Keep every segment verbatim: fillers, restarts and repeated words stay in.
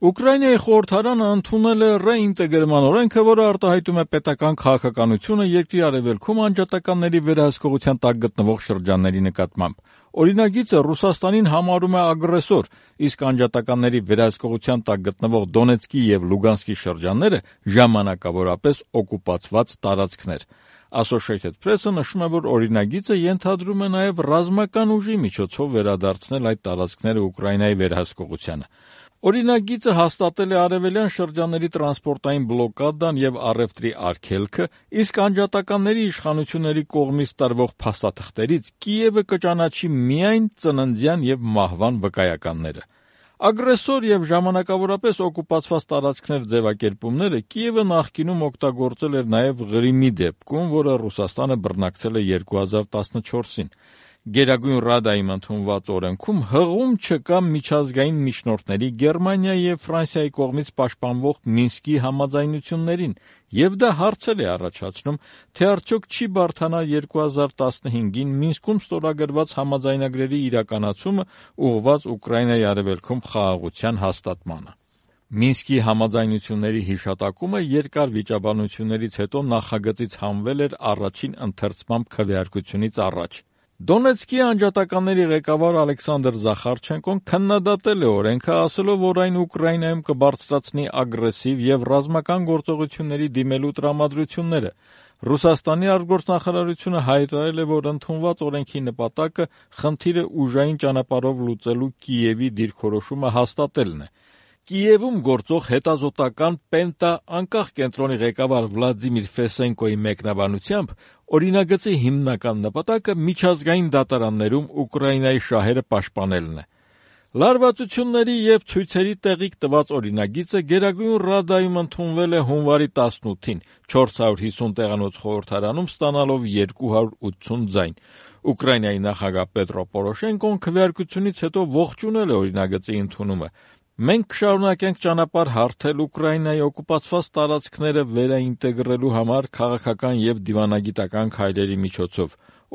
Ուկրաինայի խորհրդարանը ընդունել է ռեինտեգրման օրենքը, որը արտահայտում է պետական քաղաքականությունը երկրի արևելքում անջատականների վերահսկողության տակ գտնվող շրջանների նկատմամբ։ Օրինագիծը Ռուսաստանին համարում է ագրեսոր, իսկ անջատականների վերահսկողության տակ գտնվող Դոնեցկի և Լուգանսկի շրջանները ժամանակավորապես օկուպացված տարածքներ։ Associated Press-ը նշում է, որ օրինագիծը ենթադրում է նաև ռազմական ուժի միջոցով վերադարձնել այդ տարածքները Ուկրաինայի վերահսկողությանը։ Օրինագիծը հաստատել է արևելյան շրջանների տրանսպորտային բլոկադան և առևտրի արգելքը, իսկ անջատականների իշխանությունների կողմից տրվող փաստաթղթերից Կիևը կճանաչի միայն ծննդյան և մահվան վկայականները։ Ագրեսոր և ժամանակավորապես օկուպացված տարածքներ ձևակերպումները Կիևը նախկինում օգտագործել էր նաև Ղրիմի դեպքում, որը Ռուսաստանը բռնակցել է երկու հազար տասնչորսին։ Գերագույն Ռադայում ընդունված օրենքում հղում չկա միջազգային միջնորդների Գերմանիայի և Ֆրանսիայի կողմից պաշտպանվող Մինսկի համաձայնություններին, և դա հարցեր է առաջացնում, թե արդյոք չի բարդանա երկու հազար տասնհինգին Մինսկում ստորագրված համաձայնագրերի իրականացումը ուղղված Ուկրաինայի արևելքում խաղաղության հաստատմանը։ Մինսկի համաձայնությունների հիշատակումը երկար վիճաբանություններից հետո նախագծից հանվել էր առաջին ընթերցման քվեարկությունից առաջ։ Դոնեցկի անջատականների ղեկավար Ալեքսանդր Զախարչենկոն քննադատել է օրենքը, ասելով, որ այն Ուկրաինայում կբարձրացնի ագրեսիվ և ռազմական գործողությունների դիմելու տրամադրությունները։ Ռուսաստանի արտգործնախարարությունը հայտարարել է, որ ընդունված օրենքի նպատակը խնդիրը ուժային ճանապարհով լուծելու Կիևի դիրքորոշումը հաստատելն է։ Կիևում գործող հետազոտական Պենտա անկախ կենտրոնի ղեկավար Վլադիմիր Ֆեսենկոյի մեկնաբանությամբ օրինագծի հիմնական նպատակը միջազգային դատարաններում Ուկրաինայի շահերը պաշտպանելն է։ Լարվածությունների և ցույցերի տեղիք տված օրինագիծը Գերագույն Ռադայում ընդունվել է հունվարի տասնութին, չորս հարյուր հիսուն տեղանոց խորհրդարանում ստանալով երկու հարյուր ութսուն ձայն։ Ուկրաինայի նախագահ Պետրո Պորոշենկոն քվեարկությունից հետո ողջունել է օրինագծի ընդունումը։ «Մենք կշարունակենք ճանապարհ հարթել Ուկրաինայի օկուպացված տարածքները վերաինտեգրելու համար քաղաքական և դիվանագիտական քայլերի միջոցով։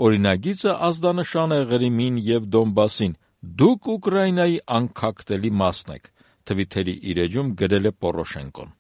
Օրինագիծը ազդանշան է Ղրիմին և Դոնբասին։ Դուք Ուկրաինայի անքակտելի մասն եք», թվիթերի իր էջում գրել է Պորոշենկոն։